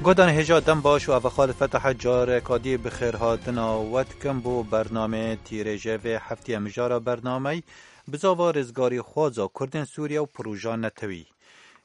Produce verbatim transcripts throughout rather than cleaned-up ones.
Guhdarên hêja dem baş û ev xalifeta hecareka dî bi xêrhatina we dikim bo bernameyê tîrêjê vê heftê mijara bernameyî. Bizava rizgarî xwaza Kurdên Sûriye û proja netewî.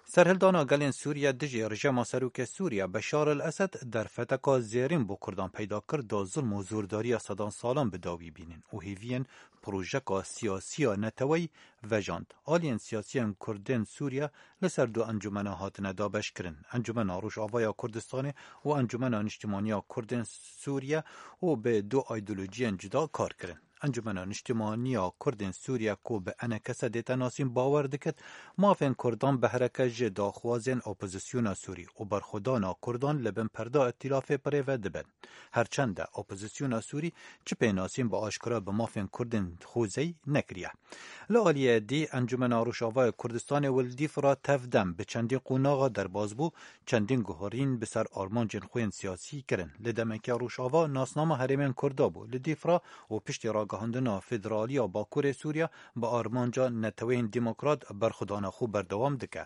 Serhildana gelên Sûriye dijî rejîma serokê Sûriye Beşar el Esed derfeteka zêrîn bo Kurdan peyda kir da zulm û zordariya sedan salan bi dawî bînin û hêviyên projeka siyasiya neteweyî vejand. Aliyên siyasiyên Kurdên Sûriye li ser du encûmena hatine dabeşkirin. Encûmena Rojavaya Kurdistanê û Encûmena Niştimaniya Kurdên Sûriye û bi du îdeolojiyên cuda kar kirin. Encûmena Niştimaniya Kurdên Sûriye ku bi E N K S dête nasîn bawer dikit, mafên Kurdan behreke ji daxwazên opozisyona Sûrî û berxwedana Kurdan li bin perda îtîlafê bi rê ve dibin. Her çend e opozisyona Sûrî çi pênasîn bi aşkera bi mafên Kurdên xwezeyî nekiriye. Li aliyê dî Encûmena Rojavayê Kurdistanê û li Dîfra tevdem bi çendîn qonaxa derbas bû, çendîn guherîn bi ser armancên xwe yên siyasî kirin. Li demeke Rojava nasnama herêmên Kurda bû. Li Dîfra û piştî ragihandina federaliya Bakurê Sûriye bi armanca neteweyên demokrat berxwedana xwe berdewam dike.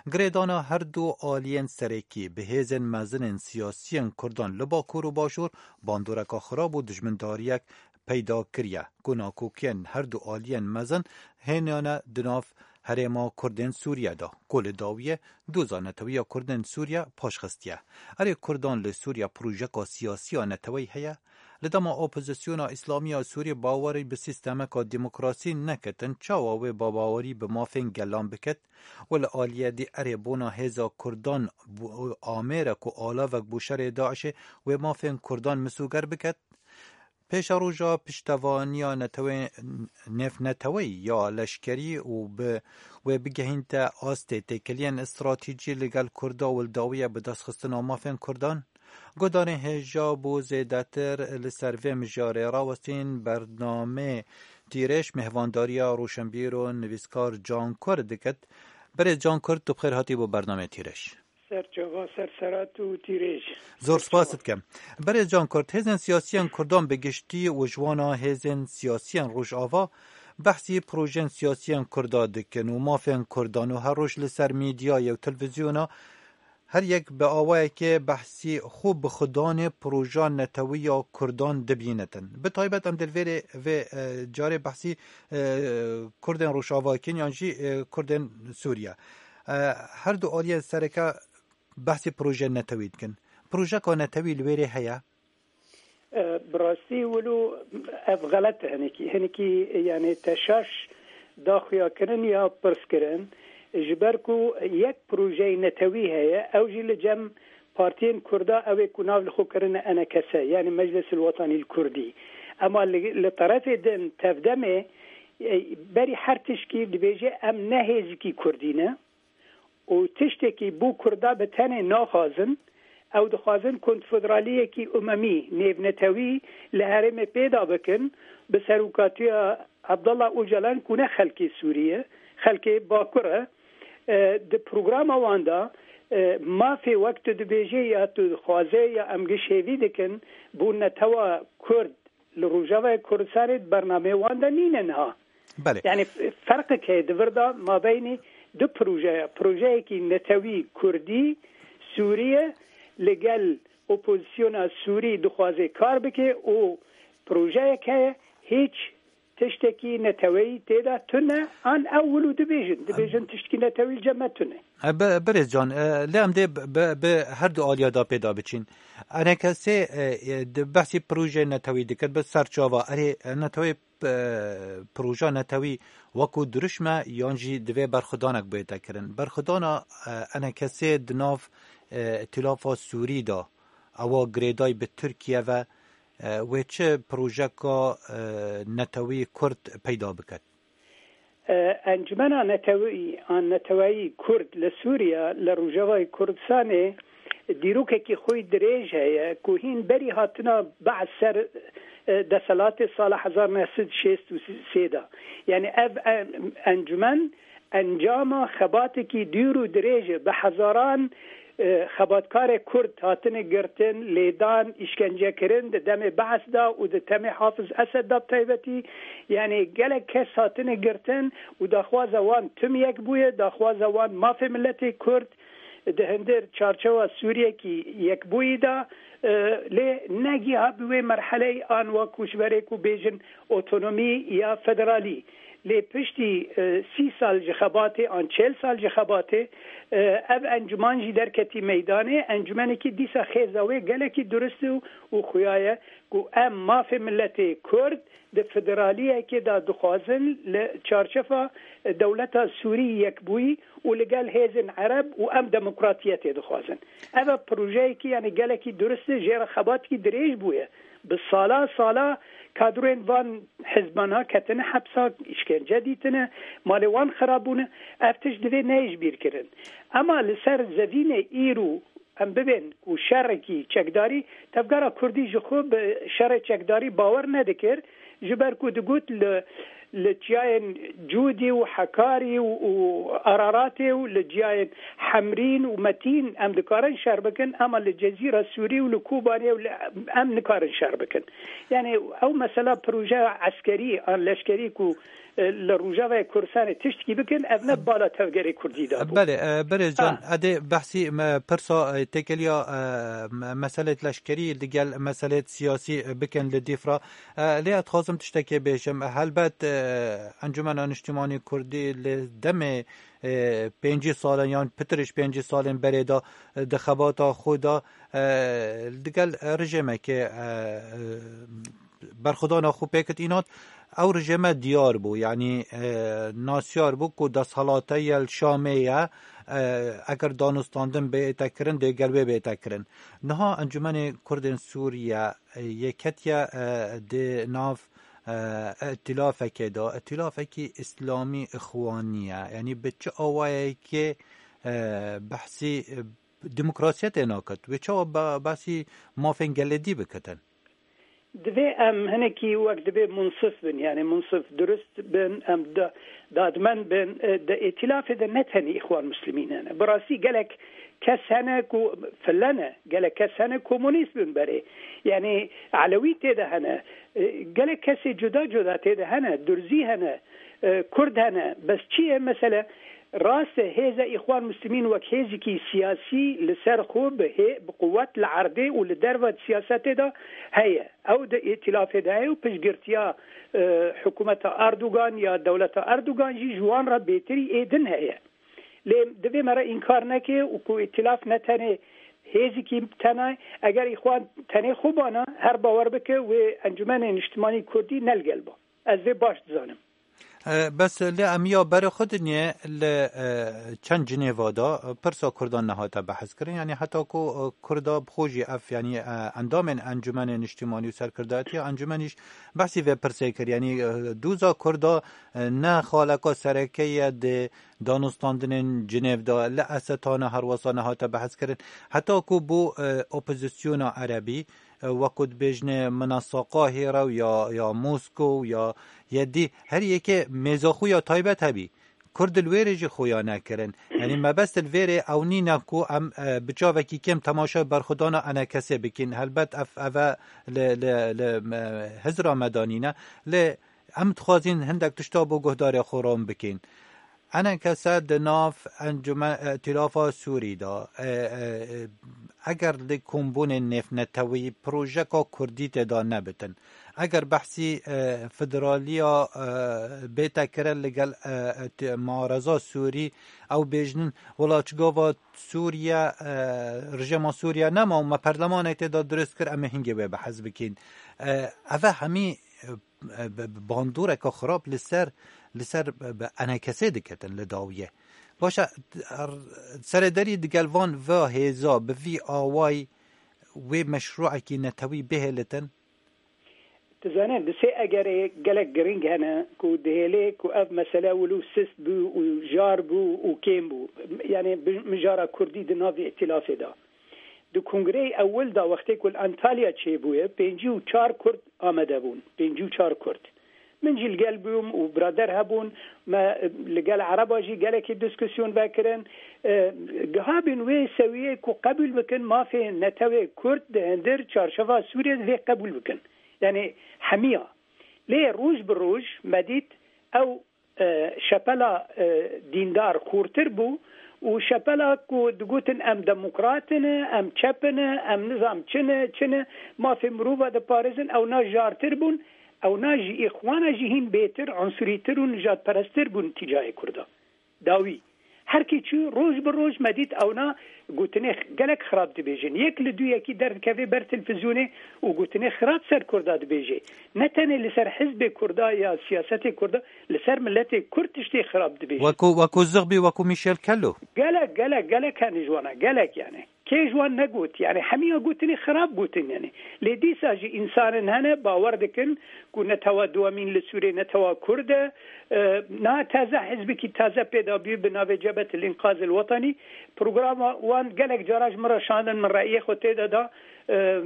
Girêdana her du aliyên serekî bi hêzên mezin ên siyasiyên Kurdan li Bakur û Başûr bandoreka xirab û dijmindariyek peyda kiriye ku nakokiyên her du aliyên mezin hêniyane di nav herêma Kurdên Sûriye de ku li dawiyê doza netewiya Kurdên Sûriye paşxistiye. Erê Kurdan li Sûriye projeka siyasî ya neteweyî heye? Li dema opozisyona Îslamî ya Sûrî bawerî bi sîstemeka demokrasî neketin, çawa wê bawerî bi mafên gelan biket? Û li aliyê dî erê bona hêza Kurdan bû-, amêre ku alavek bo şerê DAIŞê wê mafên Kurdan misûger biket? Pêşeroja piştevaniya netewê-, nêvneteweyî ya leşkerî û bi wê bigehînte astê têkiliyên stratejî li gel Kurda û li dawiye bi destxistina mafên Kurdan? Guhdarên hêja bo zêdetir li ser vê mijarê rawestîn bernamê Tîrêj mêhvandariya roşenbîr û nivîskar Can Kurd dikit. Berê Can Kurd, tu bi xêr hatî bo bernamê Tîrêj. Serçava, serserat û tîrêj. Zor spas dikim. Berê Can Kurd, hêzên siyasiyên Kurdan bi giştî û ji wana hêzên siyasiyên Rojava behsî projeyên siyasiyên Kurda dikin û mafên Kurdan û her roj li ser medyayê û televîzyona her yek bi awayekê behsî xwe bi xudanê proja netewî ya Kurdan dibînitin. Bi taybet em di vêrê vê, e, carê behsî, e, Kurdên Rojava dikin yan jî, e, Kurdên Sûriye. E, her du aliyên sereke behsî proje netewî dikin. Projeka netewî li wêrê heye? E, bi rastî wilo ev xelet e hinekî. Hinekî, yani, teşaş da xuyakirin ya pirs kirin. Ji ber ku yek projeyê netewî heye, ew jî li cem partiyên Kurda, ew ê ku nav li xwe kirine E N K S, yani Meclis el Wetanî el Kurdî. Ema li, li terefê din tevdemê, e, berî her tişkî dibêje em ne hêzikî Kurdî ne. û tiştekî bo Kurda bi tenê naxwazin. Ew dixwazin konfederaliyekî umemî, nêvnetewî li herêmê pêda bikin, bi serokatiya Abdullah Ocalan ku ne xelkê Sûrî ye, xelkê Bakur e. E, di programa wan de, e, mafê wek tu dibêjê ya tu dixwazê ya em giş hêvî dikin, bo netewa Kurd li Rojavayê Kurdistanê di bernameyê wan de nîne niha. Belê. Yani f-, ferqek heye di vir de mabeynî du projeya. Projeyekî netewî Kurdî, Sûriye, li gel opozisyona Sûrî dixwaze kar bike û projeyek heye hîç tiştekî neteweyî tê de tune, an ew wilo dibêjin. Dibêjin tiştekî netewî li cem me tune. E, bi-, Birêz Can, e, lê em dê bi, bi, bi her du aliya da pê da biçîn. E N K S, e, e, di behsî projeyê netewî dikir, bi serçava, erê, e, netewê, e, proja netewî wekû dirûşm e yan jî divê berxwedanek bête kirin? Berxwedana, e, E N K S di nav, e, Îtîlafa Sûrî de, ewa girêdayî bi Tirkiye ve, e, wê çi projeka, e, netewî Kurd peyda biket? E, Encumena Netewî an Neteweyî Kurd li Sûriye, li Rojavayê Kurdistanê dîrokekî xwe dirêj heye ku hîn berî hatina Be'es ser, e, deselatê sala hezar neh sed şêst û sê de. Yani ev en-, encumen encama xebatekî dûr û dirêj e. Bi hezaran, e, xebatkarê Kurd hatine girtin, lêdan, îşkencekirin di demê Be'es de û di demê Hafiz Esed de bi taybetî. Yani gelek kes hatine girtin û daxwaza wan tim yek bûye, daxwaza wan mafê miletê Kurd, di hindir çarçewa Sûriyekî yekbûyî de, e, lê negiha bi wê merheleyê an wek ku ji berê ku bêjin otonomî ya federalî. Lê piştî, e, sî sal ji xebatê an çel sal ji xebatê, e, ev encûman jî derketî meydanê. Encûmenekî dîsa xêza wê gelekî durist û, û xuya ye ku em mafê miletê Kurd di federaliyekê de dixwazin li çarçefa dewleta Sûrî yekbûyî û li gel hêzên Ereb û em demokratiyetê dixwazin. Ev e projeyekî, yanî gelekî durist e, jê re xebatkî dirêj bûye. Bi sala sala kadroyên van hizbana ketine hepsa, îşkence dîtine, malê wan xirab bûne. Ev tişt divê neyê ji bîr kirin. Ema li ser zevînê îro em bibên ku şerekî çekdarî, tevgera Kurdî ji xwe bi şerê çekdarî bawer nedikir, ji ber ku digot li, li çiyayên Cûdî û Hekarî û, û Araratê û li ciyayên Hemrîn û Metîn em dikarin şer bikin, ema li Cezîra Sûrî û li Kobanê û li, em nikarin şer bikin. Yani ew mesela projeya eskerî an leşkerî ku, e, li Rojavayê Kurdistanê tiştkî bikin, ev ne bala tevgerê Kurdî de bû. Belê, e, Berêz Can, Ha. edê behsî me pirsa, e, têkeliya, e, me-, meselêt leşkerî digel meselêt siyasî, e, bikin li dîfra. E, lê ez dixwazim tiştekê bêjim. Helbet, e, Encûmena Niştimanî Kurdî li demê, e, pêncî salên yan pitir ji pêncî salên berê de, e, di xebata xwe de, e, digel rejêmekê, e, e, berxwedana xwe pêkit înat. Ew rejême diyar bû, yanî, e, nasyar bû ku desthelate yel Şamê ye, e, eger danûstandin bête kirin, dê gel wê bête kirin. Niha Encûmenê Kurdên Sûriye, e, yê ketiye, e, di nav, e, îtîlafekê de, îtîlafekî îslamî îxwanî ye. Yanî bi çi awayekê, e, behsî, e, demokrasiyetê naket? Wê çawa be-, behsî mafên gelê dî bikitin? Divê em hinekî wek divê munsif bin, yani munsif durist bin, em da-, dadmend bin. E, di îtîlafê de ne tenê Îxwan Muslimîn hene. Bi rastî gelek kes hene ku file ne, gelek kes hene komûnîst bin berê. Yani Elewî tê de hene. E, gelek kesê cuda cuda tê de hene, Durzî hene, e, Kurd hene. Bes çi ye mesele? Rast e, hêza Îxwan Muslimîn wek hêzekî siyasî li ser xwe bi hê-, bi quwet li erdê û li derve di siyasetê de heye. Ew di îtîlafê de heye û piştgirtiya, e, hikûmeta Erdogan ya dewleta Erdogan jî ji wan re bêtirî ê din heye. Lê divê me re înkar neke û ku îtîlaf ne tenê hêzekî tena, eger Îxwan tenê xwe bana, her bawer bike wê Encûmenê Niştimanî Kurdî ne li gel ba. Ez vê baş dizanim. E, bes lê em ya berê xwe dinê li, e, çend Cinêva de, e, pirsa Kurdan nehate behs kirin. Yanî heta ku, e, Kurda bi xwe jî ev, yanî, e, endamên Encûmenê Niştimanî û serkirdayetiya Encûmenî jî behsî vê pirsê kir. Yanî, e, doza Kurda, e, ne xaleka sereke ye di danûstandinên Cinêv de, li Esetana herwesa nehate behs kirin. Heta ku bû, e, opozisyona Erebî, e, wekû dibêjne minasaka Hêra û ya, ya Moskow ya yedî, her yekê mêza xwe ya taybet hebî. Kurd li wêrê jî xuya nekirin. Yanî mebest li vêrê ew nîne ku em, e, bi çavekî kêm temaşa berxwedana enekesê bikin. Helbet ev, ev e li, li, li, e, hizra me de nîne. Lê em dixwazin hindek tişta bo guhdarê xwe ron bikin. Enekese di nav Encûme-, Îtîlafa Sûrî de, e, e, e, eger li kombûnên nêvnetewî projeka Kurdî tê de nebitin, eger behsî, e, federaliya, e, bête kirin li gel, e, e, ti-, muareza Sûrî, ew bêjnin, wela çi gava Sûriye, e, rejêma Sûriye nema û me perlemanê tê de dirust kir, em ê hingê wê behs bikin. E, ev e hemî, e, e, bi, bi bandoreke xirab li ser, li ser bi, bi enekesê diketin li dawiyê. Baş e, r-, serederî digel van va hêza bi vî awayî wê meşrûekî netewî bihêlitin? Dizane, di sê egerê gelek giring hene ku dihêlê ku ev mesele wilo sist bû û jar bû û kêm bû. Yani bi-, mijara Kurdî di navê îtîlafê de. Di kongreyê ewil de wextê ku li Antalya çêbûye, pêncî û çar Kurd amade bûn. Pêncî û çar Kurd. Min jî li gel bûm û birader hebûn. Me, e, li gel Ereba jî gelekî diskusyon vekirin. E, gihabîn wê sewiyê ku qebûl bikin mafê netewê Kurd di hindir çarşeva Sûriyê divê qebûl bikin. Yani hemiya. Lê roj bi roj me dît ew, e, şepela, e, dîndar xurtir bû û şepela ku digotin em demokrat in, em çep in, em nizam çi ne, çi ne, mafê mirova diparêzin, ewna jartir bûn, ewna ji îxwana jî hîn bêtir, unsurîtir û nijadperesttir bûn tîcayê Kurda. Dawî. Her kî çû, roj bi roj me dît ewna gotinê gelek xirab dibêjin. Yek li duyekî derdikeve ber televîzyonê û gotinê xirab ser Kurda dibêje. Ne tenê li ser hizbê Kurda ya siyasetê Kurda, li ser miletê Kurd tiştê xirab dibêje. Wekû, wekû Zixbî, wekû Michel Kello. Gelek, gelek, gelek hene ji wana, gelek yani. Kê ji wan negot, yani hemiya gotinê xirab gotin yani. Lê dîsa jî însanên hene bawer dikin ku netewa duwemîn li Sûriyê netewa Kurd e. E, niha taze hizbekî taze pêda bû bi navê Cebhet el-Înqaz el-Wetenî. Programa wan gelek cara ji min re şandin, min reyê xwe tê de da. E,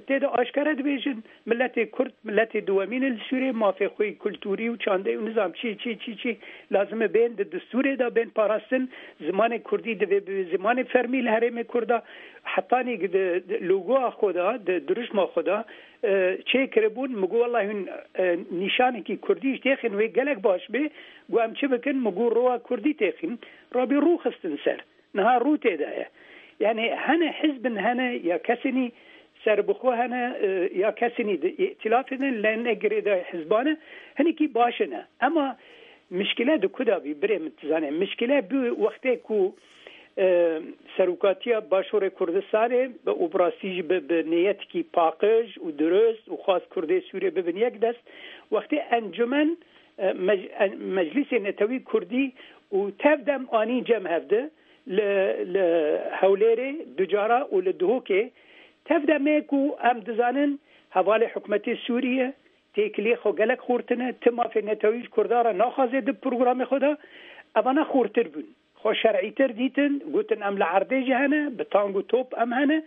Tê de aşkere dibêjin, miletê Kurd, miletê duwemîn e li Sûriyê, mafê xwe yî kulturî û çandeyî û nizam çi, çi, çi, çi lazim e bên di destûrê de bên parastin, zimanê Kurdî divê bi zimanê fermî li herêmê Kurda, hetanî di, di logoya xwe de, di dirûşma xwe de, e, çêkiribûn, min got, wellahî hûn, e, nîşanekî Kurdî jî têxin wê gelek baş bê, got, em çi bikin, min got, roya Kurdî têxin, rabî rû xistin ser. Niha rû tê de ye. Yani hene hizbin hene ya kesinî serbixwe hene, e, ya kesinî di îtilafê de, lê ne girêdayî hizban e, hinekî baş e ne. Ema mişkile di ku de bî, birê min, tu zanî. Mişkile bû wextê ku, e, serokatiya Başûrê Kurdistanê bi û bi rastî jî bi, bi niyetikî paqij û dirust û xwest Kurdê Sûriyê bibin yek dest, wextê encûmen, e, mec-, en-, Meclîsê Netewî Kurdî û tev dem anî cem hevdi li, li Hewlêrê du cara û li Duhokê tev demê ku em dizanin hevalê hikûmetê Sûrî ye, têkiliyê xwe gelek xurtine, ti mafê netewî ji Kurda re naxwaze di programê xwe de, evana xurtir bûn. Xwe şer'îtir dîtin, gotin em li erdê jî hene, bi tang û top em hene,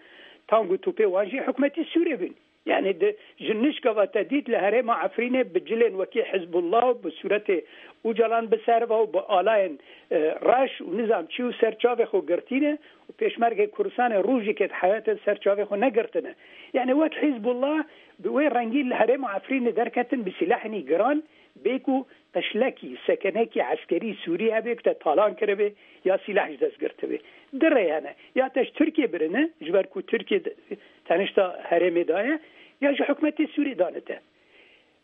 tang û topê wan jî hikûmetê Sûrê bûn. Yani di, ji nişka ve te dît li herêma Efrînê bi cilên wekî Hizbullah û bi sûretê Ocalan bi ser ve û bi alayên, e, reş û nizam çi û ser çavê xwe girtîne û pêşmergê Kurdistanê rojekê di heyatê ser çavê xwe negirtine. Yani wek Hizbullah bi wê rengî li herêma Efrînê derketin bi sîlehên giran, bê ku qişlekî, sekenekî eskerî Sûrî hebe ku te talan kiribe ya sîleh ji dest girtibe. Di rê hene. Ya te ji Tirkiyê birine, ji ber ku Tirkiye de, tenişta herêmê daye, ya ji hikûmetê Sûrî dane te.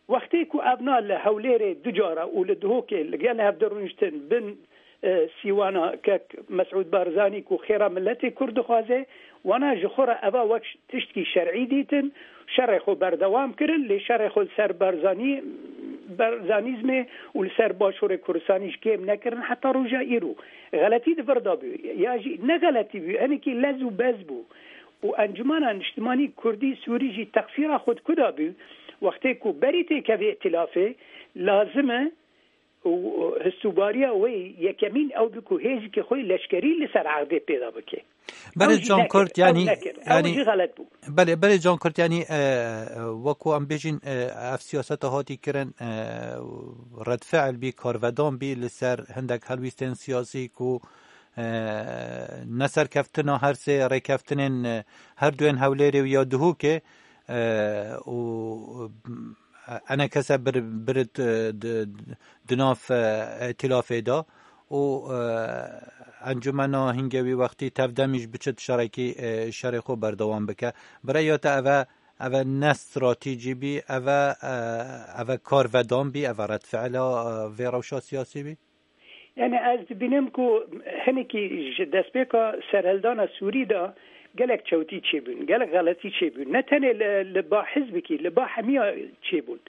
Wextê ku evna li Hewlêrê du cara û li Duhokê li gel hev de rûniştin bin, e, sîwana kek Mesûd Barzanî ku xêra miletê Kurd dixwaze, wana ji xwe re eva wek tiştkî şer'î dîtin, şerê xwe berdewam kirin, lê şerê xwe li ser Barzanî, Barzanîzmê û li ser Başûrê Kurdistanî ji kêm nekirin heta roja îro. Xeletî di vir de bû, ya jî ne xeletî bû, hinekî lez û bez bû. Û Encûmena Niştimanî Kurdî Sûrî jî teqsîra xwe di ku de bû, wextê ku berî têkevê îtilafê lazim e û histûbariya wê yekemîn ew bû ku hêzikê xwe leşkerî li ser erdê pêda bike. Berê Ew jî Can nekir, Kurt, ew yanî, nekir. Ew yanî jî xelet bû. Belê, berê Can Kurt, yanî, e, e, wekû em bêjin, e, ev siyaseta hatî kirin, e, redfi'l bî, karvedan bî li ser hindek helwîstên siyasî ku, e, ne serkeftina her sê rêkeftinên, e, her duyên Hewlêrê û ya Duhokê, e, û, e, enekese bir, birit, e, di, di nav, e, îtilafê de û, e, encûmena hingevî wextî tevdemî ji biçit şerekî, e, şerê xwe berdewam bike. Bi rêya te eve, eve ne stratejî bî, eve, e, eve karvedan bî, eve redfi'la, e, vê rewşa siyasî bî? Yani ez dibînim ku hinekî ji destpêka serhildana Sûrî de gelek çewtî çêbûn, gelek xeletî çêbûn. Ne tenê li, li ba hizbekî, li ba hemiya çêbûn.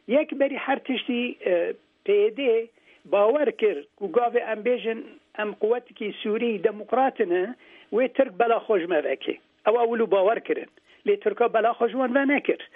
Yek berî her tiştî, e, P Y D bawer kir ku gavê em bêjin em quwetekî Sûrî demokrat ne, wê Tirk bela xwe ji me veke. Ew ewil û bawer kirin. Lê Tirka bela xwe ji wan venekir.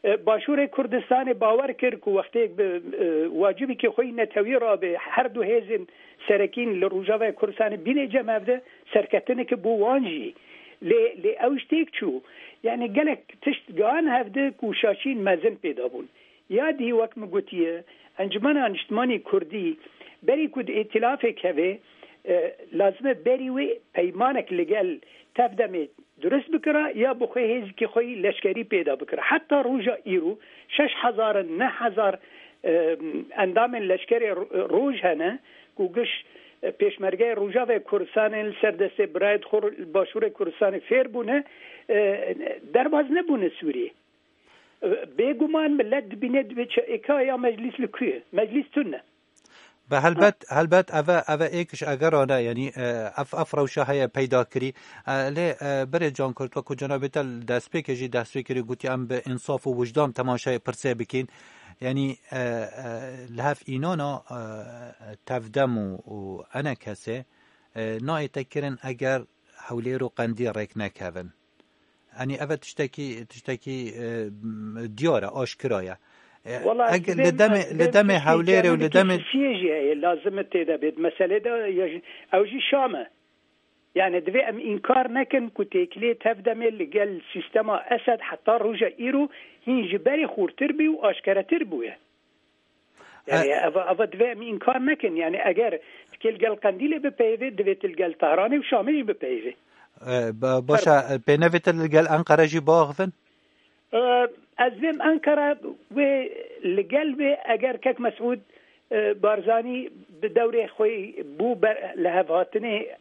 E, Başûrê Kurdistanê bawer kir ku wextê bi, e, wacibekî xwe yî netewî rabe, her du hêzên serekîn li Rojavayê Kurdistanê bîne cem hevde, serketineke bo wan jî. Lê, lê ew ji têk çû. Yani gelek tişt gihan hevde ku şaşîn mezin pêda bûn. Ya dî wek min gotiye, Encûmena Niştimanî Kurdî berî ku di îtilafek heve, e, lazim e berî wê peymanek li gel tevdemê durist bikira ya bi xwe hêzikî xwe yî leşkerî pêda bikira. Heta roja îro şeş hezar in, neh hezar, e, endamên leşkerê ro-, roj hene ku giş Pêşmergeyê Rojavê Kurdistanê li ser destê birayê xwe li Başûrê Kurdistanê fêr bûne, e, derbaz nebûne Sûriyê. E, Bêguman millet dibîne, dibê çi êka ya meclîs li ku ye? Meclîs tune. Be helbet, helbet eve, eve êk ji egerane, yanî, e, ev, ev rewşa heye peyda kirî. E, lê, e, birê Can Kurt, wekû cenabê te li destpêkê jî dest pê kirî, gotî em bi însaf û wijdan temaşeyê pirsê bikîn. Yanî, e, e, li hev înana, e, tevdem û, û enekesê, e, nayête kirin eger Hewlêr û Qendîl rêk nekevin. Yanî, eve tiştekî, tiştekî, e, diyar e, aşkira ye. E, Wala, ez eg-, dibêm, li demê, ez li dibêm demê tiştê Hewlêrê û li demê Siyê jî heye, lazim e tê de bêt. Meselê de ya jî, ew jî Şam e. Yani, divê em înkar nekin ku têkilê tevdemê li gel sîstema Esed heta roja îro hîn ji berê xurtir bî û aşkeretir bûye. Yani, E, eva, eva divê em înkar nekin. Yani, eger tikê li gel Qendîlê bipeyivê, divê tu li gel Tehranê û Şamê jî bipeyivê. E, ba-, başa, e, pênevê te li gel Enqere jî biaxivin? E, ez vêm Enqere wê li gel wê, eger kek Mesûd, e, Barzanî bi dewrê xwe bû ber-, li hevhatinê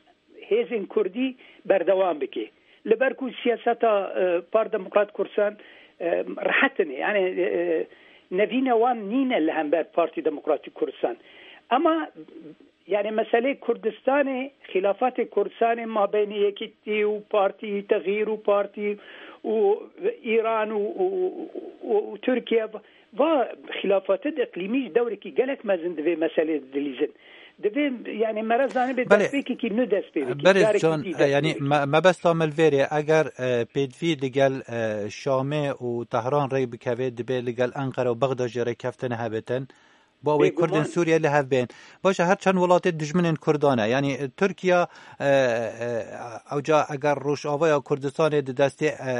hêzên Kurdî berdewam bike. Li ber ku siyaseta, e, Par Demokrat Kurdistan, e, rehet in, yani, e, nevîna wan nîne li hember Partî Demokratîk Kurdistan. Ama, yani, meselê Kurdistanê, xîlafatê Kurdistanê mabeynê Yekîtî û Partî Texyîr û Partî û Îran û, û, û, û Tirkiye, va xîlafatê di iqlîmî jî dewrekî gelek mezin divê meselê dilîzin. Divê, yani, me re zanibê Belê. destpêkekî nû dest pê bike. Berê Carekî Can, dî dest yani, pê bike. me-, mebesta me li vêrê, eger, e, pêdivî li gel, e, Şamê û Tehran rê bikeve, dibê li gel Enqere û Bexda jî rêkeftin hebitin. Bo wê Bêguman. Kurdên Sûriye li hev bên. Baş e, her çend welatê dijminên Kurdan e. Yani, e, Tirkiye, e, e, ewca eger Rojavaya Kurdistanê di destê, e,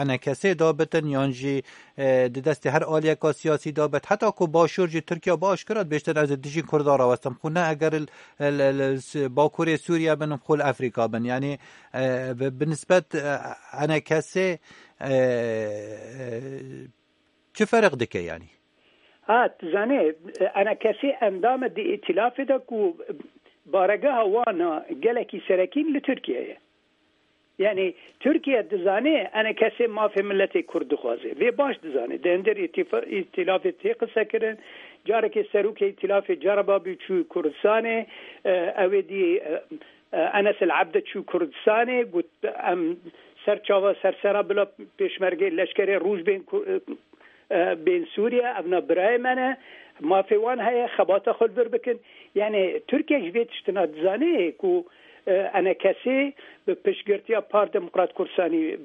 enekesê de bitin, yan jî, e, di destê her aliyeka siyasî de bit, heta ku Başûr jî Tirkiye bi aşkira dibêjtin, ez ê dijî Kurdan rawestim. Xwe ne eger li, li, li s-, Bakurê Sûriye bin, xwe li Efrîka bin. Yani, e, bi, bi nisbet, e, enekesê, e, e, çi ferq dike yani? Ha, tu zanê, enekesê endam e di îtîlafê de ku baregeha wan a gelekî serekîn li Tirkiye ye. Yani, Tirkiye dizane enekesê mafê miletê Kurd dixwaze. Vê baş dizane. Di hundir îtîfa-, îtîlafê tê qise kirin. Carekê serokê îtîlafê cereba bû çû Kurdistanê. E, ew ê dî, e, e, Enes El Abd çû Kurdistanê. Got, em ser çava sersera bila pêşmergê leşkerê roj bên Ku-, e, e, bên Sûriye, evna birayê me ne, mafê wan heye, xebata xwe li vir bikin. Yani, Tirkiye ji vê tiştina dizane ku, e, enekesê bi piştgirtiya Par Demokrat Kurdistanî, m,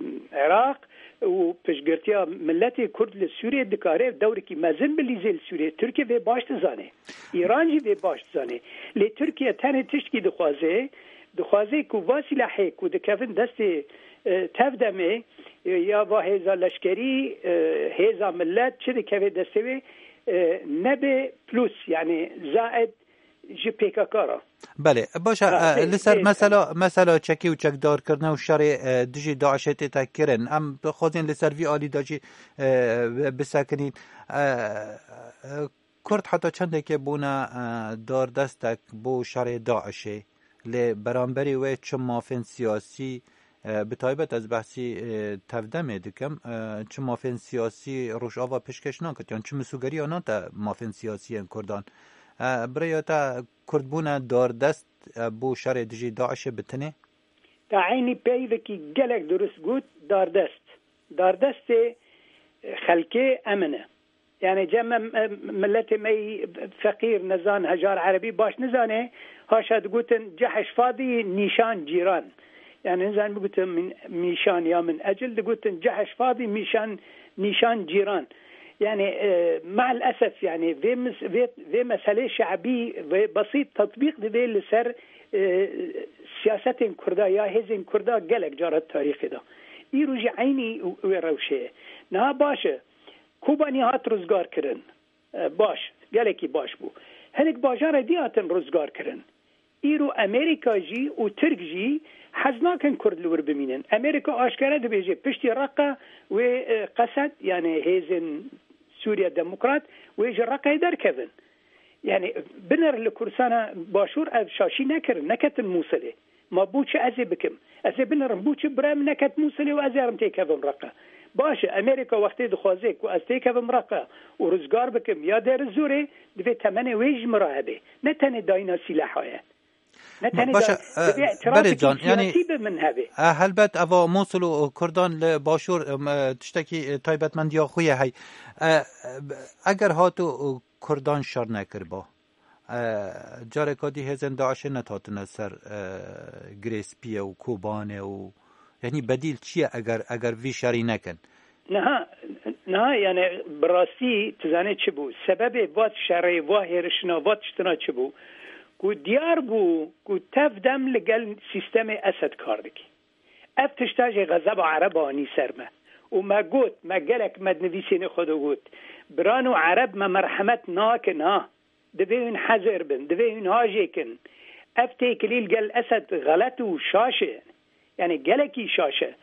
Iraq û piştgirtiya miletê Kurd li Sûriye dikare dewrekî mezin bilîzê li Sûriye. Tirkiye vê baş dizane. Îran jî vê baş dizane. Lê Tirkiye tenê tiştkî dixwaze, dixwaze ku va sîlahê ku dikevin destê, e, tevdemê, e, ya va hêza leşkerî, e, hêza millet çi dikeve destê wê, e, nebe plus, yani zaid ji P K K re. Belê, baş e, Ha, e, tê, li ser tê, mesela, mesela çekî û çekdarkirine û şerê, e, dijî DAIŞê tê te kirin. Em dixwazin li ser vî alî de jî, e, bisekinîn. E, e, Kurd heta çendekê bûne, e, dardestek bo şerê DAIŞê. Lê beramberî wê çi mafên siyasî, e, bi taybet ez behsî, e, tevdemê dikim, e, çi mafên siyasî Rojava pêşkêş nakit, yan çi misûgeriya nate mafên siyasiyên Kurdan. E, bi rêya te kurdbûne dardest, e, bo şerê dijî DAIŞê bi tinê? Te eynî peyvekî gelek durist got, dardest. Dardestê xelkê em in e. Yani cem, em, milletê me yî feqîr, nezan, hejar erebî baş nizane, haşa digotin cehş fadî nîşan cîran. Yani nizan bigotin min mîşan ya min ecil, digotin cehş fadî mîşan, nîşan cîran. Yani, e, maalesef yani vê mis-, vê, vê meselê şe'bî ve besît tetbîq divê li ser, e, siyasetên Kurda ya hêzên Kurda gelek cara tarîxê de. Îro jî eynî wê rewşê ye. Niha baş e. Kobanî hat rizgar kirin. E, baş, gelekî baş bû. Hinek bajarê dî hatin rizgar kirin. Îro Amerîka jî û Tirk jî hez nakin Kurd li wir bimînin. Amerîka aşkere dibêje piştî Reqa wê, e, Qesed, yani hêzên Sûriye Demokrat, wê ji Reqeyê derkevin. Yani, binir li Kurdistana Başûr ev şaşî nekirin, neketin Mûsilê. Ma bû çi ez ê bikim? Ez ê binirim, bû çi bira min neket Mûsilê û ez ê herim têkevim Reqa? Baş e, Amerîka wextê dixwaze ku ez têkevim Reqa û rizgar bikim ya Dêrizorê, divê temenê wê ji min re hebe. Ne tenê dayîna sîleha ye. Ne tenê Baş e, da-, e, divê îtirafekî Berê Can, yani, siyasî bi min hebe. E, helbet eva Mûsil û Kurdan li Başûr, e, me, tiştekî, e, taybetmendiya xwe ye hey. E, e, eger hatu, e, Kurdan şer nekiriba, e, careka dî hêzên DAIŞê nethatine ser, e, Girê Spî ye û Kobanê û, yani, bedîl çi ye eger, eger vî şerî nekin? Niha, niha, yani, bi rastî tu zanî çi bû? Sebebê va şerê, va hêrişina, va tiştina çi bû? Ku diyar bû ku tev dem li gel sîstemê Esed kar dike. Ev tişta jî xezeba Ereba anî ser me. Û me got, me gelek me di nivîsênê xwe de got, biran û Ereb me merhemet nakin ha. Divê hûn hezir bin, divê hûn hajêkin. Ev têkilî li gel Esed xelet û şaş e. Yani gelekî şaş e.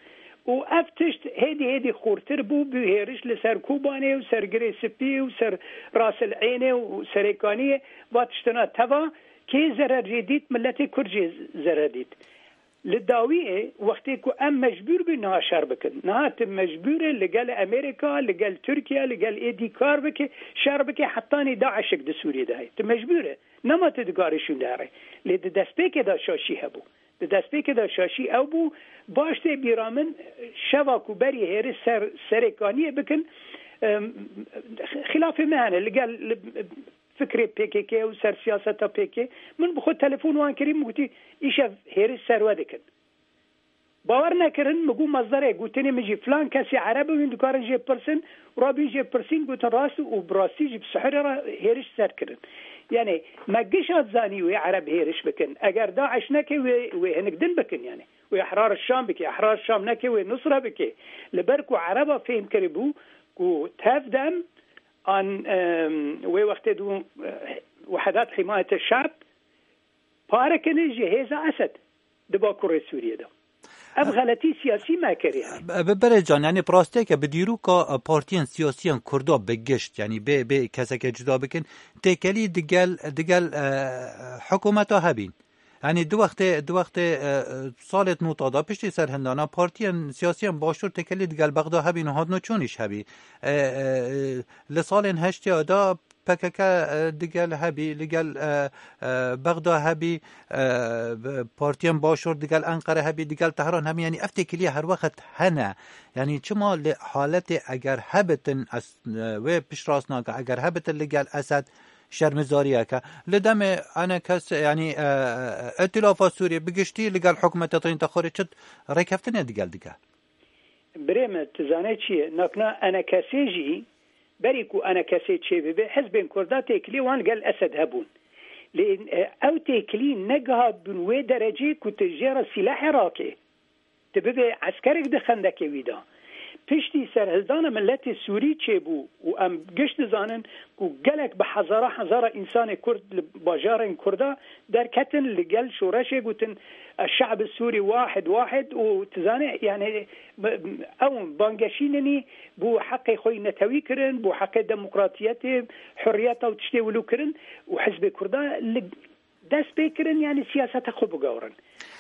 Û ev tişt hêdî hêdî xurtir bû, bû hêriş li ser Kobanê û ser Girê Spî û ser Rasil Eynê û Serêkaniyê, va tiştina teva kê zerer jê dît, miletê Kurd jê zerer dît. Li dawiyê wextê ku em mecbûr bûn niha şer bikin. Niha tu mecbûr e li gel Amerîka, li gel Tirkiye, li gel êdî kar bike, şer bike, hetanî DAIŞek di Sûriyê de heye. Tu mecbûr e. Nema tu dikarî şûnde here. Lê di destpêkê de şaşî hebû. Di destpêkê de şaşî ew bû, baş tê bîra min, şeva ku berî hêriş ser Serêkaniyê bikin, em, xilafê me hene, li gel, li, fikrê P K K û ser siyaseta P K K. Min bi xwe telefon wan kirî, min gotî, îşev hêriş ser we dikin. Bawer nekirin, min got, mazderê gotinê min jî filan kesê Ereb e, hûn dikarin jê pirsin, rabîn jê pirsîn, gotin rast û bi rastî jî bi sihirê re hêriş ser kirin. Yani, me gişa zanî wê Ereb hêriş bikin. Eger DAIŞ neke wê, wê hinik din bikin yani. Wê Ehrar Şam bike, Ehrar Şam neke wê Nusra bike. Li ber ku Ereba fêm kiribû ku tev dem an, em, wê wextê dû, eh, Wehedat Himayete Şab pare kene ji hêza Esed di Bakurê Sûriyê de. Ev xeletî siyasî me kiriye. Bi, bi Berê Can, yani bi rastiyeke bi dîroka, e, partiyên siyasiyên Kurda bi gişt, yani bê, bê keseke cuda bikin, têkelî digel, digel, e, hikûmeta hebîn. Yani di wextê, di wextê, e, e, salê nota da piştî serhildana partiyên siyasiyên Başûr têkelî digel Bexda hebîn û hatine çûnîş hebî. E, e, e, li salên heştê da P K K, e, digel hebî, li gel, e, e, Bexda hebî, e, partiyên Başûr digel Enqere hebî, digel Tehran hebî, yani ev têkiliye her wext hene. Yani çima li haletê eger hebitin, ez, e, wê piştrast nake, eger hebitin li gel Esed şermizariyeke. Li demê enekes, yani, e, Îtîlafa Sûriyê bi giştî li gel hikûmeta Tînta Xorê çi rêkeftinê digel dike? Birê min, tu zanê çi ye? Nakna enekesê jî, berî ku enekesê çêbibe, hizbên Kurda têkilî wan li gel Esed hebûn. Lê, e, ew têkilî negihabûn wê derecê ku tu jê re sîlehê rake. Tu bibê eskerek di xendekê wî de. Piştî serhildana miletê Sûrî çêbû û em giş dizanin ku gelek bi hezara hezara însanê Kurd li bajarên Kurda derketin, li gel şoreşê gotin, "Eşşe'bi Sûrî wahid wahid" û tu zanî, yani, ew bangeşî ninî bû heqê xwe yî netewî kirin, bû heqê demokratiyetê, hurriyeta û tiştê wilo kirin û Hizbê Kurda li dest pê kirin, yani siyaseta xwe bigewrin.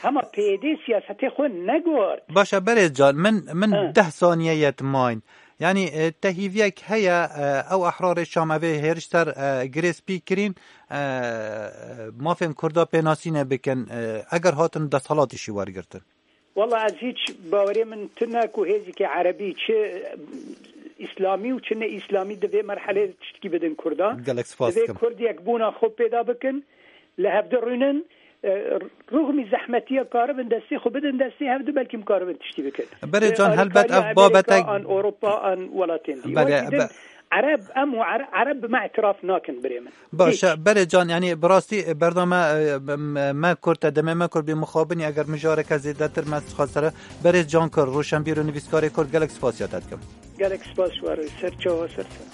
Hema P Y D siyasetê xwe negort. Baş e, Berêz Can, min, min Ha. deh saniye yet mayîn. Yani, e, te hîviyek heye, e, ew ehrarê Şam evê hêriş ser, e, Girê Spî kirîn, e, mafên Kurda pênasînê bikin, e, eger hatin desthilatî jî wergirtin? Walla ez hiç bawerê min tune ku hêzikê erebî çi îslamî û çi ne îslamî di vê merhelê tiştkî bidin Kurdan. Gelek spas Divê dikim. Kurd yekbûna xwe pêda bikin, li hevdi rûnin, e, ruxmî zehmetiya karibin destê xwe bidin destê hevdi, belkî karibin tiştî bikin. Berê Li Can, helbet alîkariya ev Amerîka, babete an Ewropa, an welatên dî. Berê, Wekî din be- Ereb, em û Ere-, Ereb bi me îtiraf nakin birê min. Baş e, Hiç. Berê Can, yani bi rastî, e, bername, e, me, me Kurd, te demê me Kurd bî mixabinî, eger mijareke zêdetir me dixwest sere. Berê Can Kurd, roşenbîr û nivîskarê Kurd, gelek spasiya te dikim. Gelek spas, war, ser çawa, ser çawa.